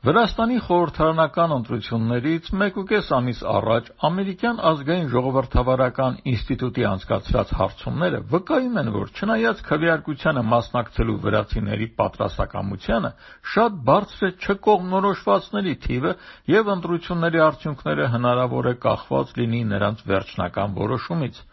Վրաստանի խորհրդարանական ընտրություններից 1.5 ամիս առաջ ամերիկյան ազգային ժողովրդավարական ինստիտուտի անցկացրած հարցումները վկայում են, որ չնայած քվեարկությանը մասնակցելու վրացիների պատրաստակամությանը, շատ բարձր է չկողմնորոշվածների թիվը և ընտրությունների արդյունքները հնարավոր է կախված լինի նրանց վերջնական որոշումից։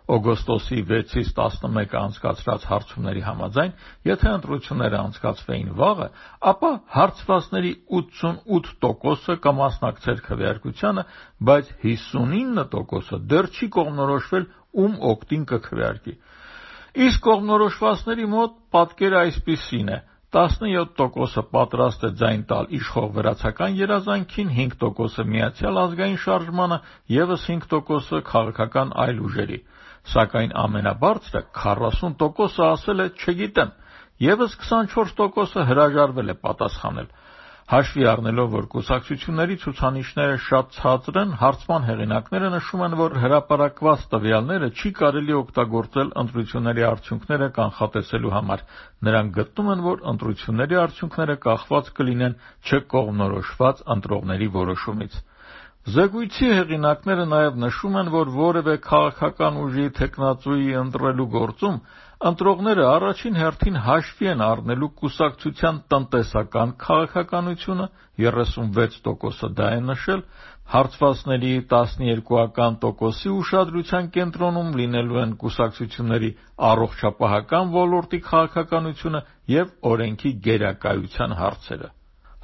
Օգոստոսի 6-ից 11-ը անցկացրած հարցումների համաձայն, եթե ընտրությունները անցկացվեին վաղը, ապա հարցվածների 88%-ը կմասնակցեր քվեարկությանը, բայց 59%-ը դեռ չի կողմնորոշվել ում օգտին կքվեարկի։ Իսկ կողմնորոշվածների մոտ պատկերը այսպիսին է. 17%-ը պատրաստ է ձայն տալ իշխող վրացական երազանքին, 5%-ը Միացյալ ազգային շարժմանը, ևս 5%-ը քաղաքական այլ ուժերի։ Սակայն ամենաբարձրը 40%-ը ասել է «չգիտեմ», ևս 24%-ը հրաժարվել է պատասխանել։ Հաշվի առնելով, որ կուսակցությունների ցուցանիշները շատ ցածր են, հարցման հեղինակները նշում են, որ հրապարակված տվյալները չի կարելի օգտագործել ընտրությունների արդյունքները կանխատեսելու համար։ Նրանք գտնում են, որ ընտրությունների արդյունքները կախված կլինեն չկողմնորոշված ընտրողների որոշումից։ Զեկույցի հեղինակները նաև նշում են, որ որևէ քաղաքական ուժի թեկնածուի ընտրելու գործում ընտրողները առաջին հերթին հաշվի են առնելու կուսակցության տնտեսական քաղաքականությունը, 36%-ը դա է նշել, հարցվածների 12% ուշադրության կենտրոնում լինելու են կուսակցությունների առողջապահական ոլորտի քաղաքականությունը և օրենքի գերակայության հարցերը։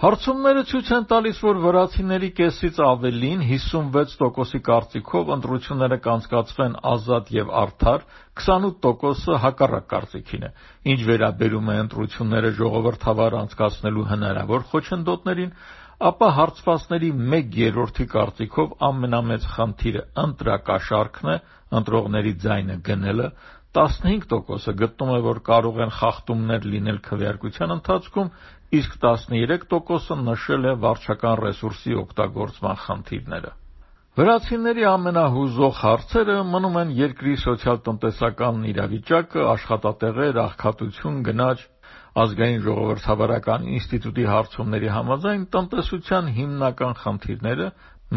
Հարցումները ցույց են տալիս, որ վրացիների կեսից ավելին, 56%-ի կարծիքով ընտրությունները կանցկացվեն ազատ և արդար, 28%-ը հակառակ կարծիքին է։ Ինչ վերաբերում է ընտրությունները ժողովրդավար անցկացնելու հնարավոր խոչընդոտներին, ապա հարցվածների 1/3-ի կարծիքով ամենամեծ խնդիրը ընտրակաշառքն է, ընտրողների ձայնը գնելը, 15%-ը գտնում է, որ կարող են խախտումներ լինել քվեարկության ընթացքում, իսկ 13%-ը նշել է վարչական ռեսուրսի օգտագործման խնդիրները։ Վրացիների ամենահուզող հարցերը մնում են երկրի սոցիալ-տնտեսական իրավիճակը, աշխատատեղեր, աղքատություն, գնաճ։ Ազգային ժողովրդավարական ինստիտուտի հարցումների համաձայն տնտեսության հիմնական խնդիրները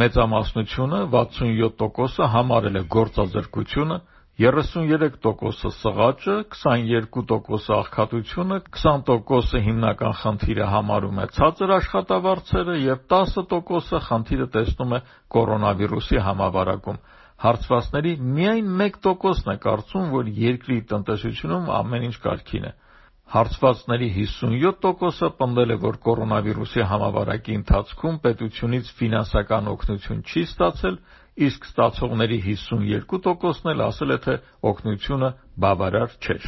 մեծամասնությունը 67%-ը համարել է գործազրկությունը, 33%-ը սղաճը, 22%-ը աղքատությունը, 20%-ը հիմնական խնդիրը համարում է ցածր աշխատավարձերը և 10%-ը խնդիրը տեսնում է կորոնավիրուսի համավարակում։ Հարցվածների միայն 1%-ն է կարծում, որ երկրի տնտեսությունում ամեն ինչ կարգին է։ Հարցվածների 57%-ը պնդել է, որ կորոնավիրուսի համավարակի ընթացքում պետությունից ֆինանսական օգնություն չի ստացել, իսկ ստացողների 52%-ն էլ ասել է, թե օգնությունը բավարար չէր։